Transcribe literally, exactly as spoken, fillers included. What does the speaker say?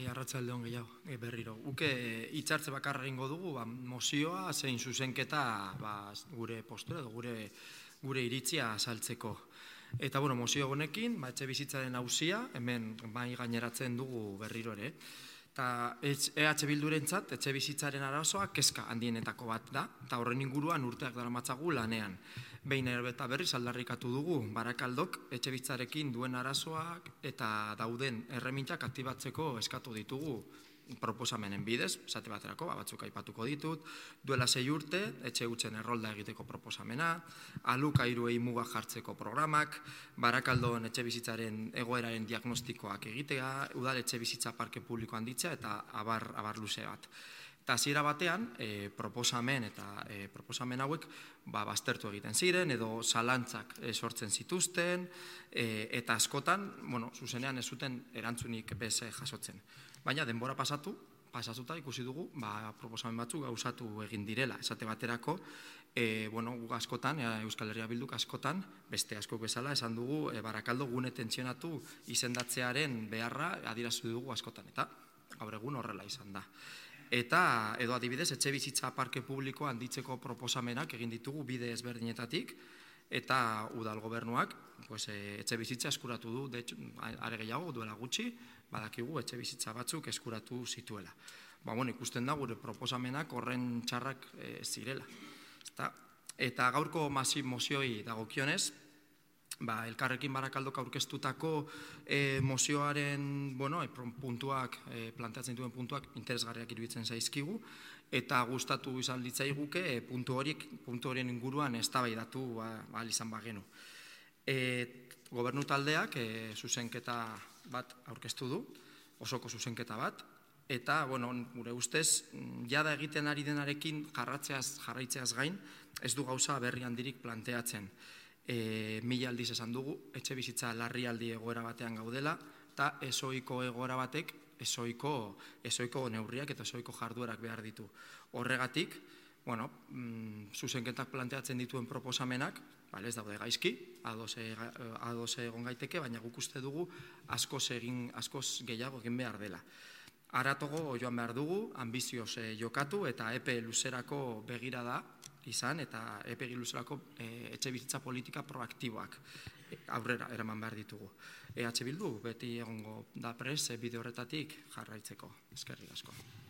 arratsalde on gehiago, e, berriro. Uke hitzartze bakarra egingo dugu, ba, mozioa zein zuzenketa ba, gure postura edo gure gure iritzia azaltzeko. Eta bueno, mozio honekin, ba, etxe bizitzaren auzia, hemen bai gaineratzen dugu berriro ere. Eta E H Bildurentzat etxe bizitzaren arazoa kezka handienetako bat da, eta horren inguruan urteak daramatzagu lanean. Behin eta berriz aldarrikatu dugu Barakaldok etxe bizitzarekin duen arazoak eta dauden erremintak aktibatzeko eskatu ditugu proposamenen bidez, esate baterako, batzuk aipatuko ditut, duela sei urte, etxe hutzen errolda egiteko proposamena, alokairuei muga jartzeko programak, Barakaldon etxe bizitzaren egoeraren diagnostikoak egitea, udal etxe bizitza parke publiko handitzea eta abar, abar luze bat. Eta hasiera batean, e, proposamen eta e, proposamen hauek ba, baztertu egiten ziren, edo zalantzak e, sortzen zituzten, e, eta askotan, bueno, zuzenean ez zuten erantzunik beze jasotzen. Baina denbora pasatu, pasatuta ikusi dugu, ba, proposamen batzuk gauzatu egin direla. Esate baterako, e, bueno, guk askotan, e, Euskal Herria Bilduk askotan, beste askok bezala, esan dugu, e, Barakaldo gune tentsionatu izendatzearen beharra adierazu dugu askotan, eta gaur egun horrela izan da. Eta, edo adibidez, etxe bizitza parke publiko handitzeko proposamenak egin ditugu bide ezberdinetatik, eta udal gobernuak pues, e, etxe bizitza eskuratu du, de hecho, are gehiago duela gutxi, badakigu etxe bizitza batzuk eskuratu zituela. Ba, bueno, ikusten da gure proposamenak horren txarrak e, zirela. Eta, eta gaurko masi mozioi dagokionez, ba, Elkarrekin Barakaldok aurkeztutako e, mozioaren bueno, e, puntuak, e, planteatzen dituen puntuak interesgarriak iruditzen zaizkigu, eta gustatu izan litzaiguke e, puntu horiek, puntu horien inguruan eztabaidatu ba, ahal izan bagenu. E, gobernu taldeak e, zuzenketa bat aurkeztu du, osoko zuzenketa bat, eta, bueno, gure ustez, jada egiten ari denarekin jarratzeaz, jarraitzeaz gain, ez du gauza berri handirik planteatzen. E, mila aldiz esan dugu, etxe bizitza larrialdi egoera batean gaudela, eta ezoiko egoera batek, ezoiko, ezoiko neurriak eta ezoiko jarduerak behar ditu. Horregatik, bueno, mm, zuzenketak planteatzen dituen proposamenak, bale, ez daude gaizki, ados, ados egon gaiteke, baina guk uste dugu askoz egin, askoz gehiago egin behar dela. Aratogo joan behar dugu, ambizioz eh, jokatu eta epe luzerako begira da izan eta epe luzerako eh, etxe bizitza politika proaktiboak aurrera eraman behar ditugu. E H Bildu beti egongo da prest bide horretatik jarraitzeko. Eskerrik asko.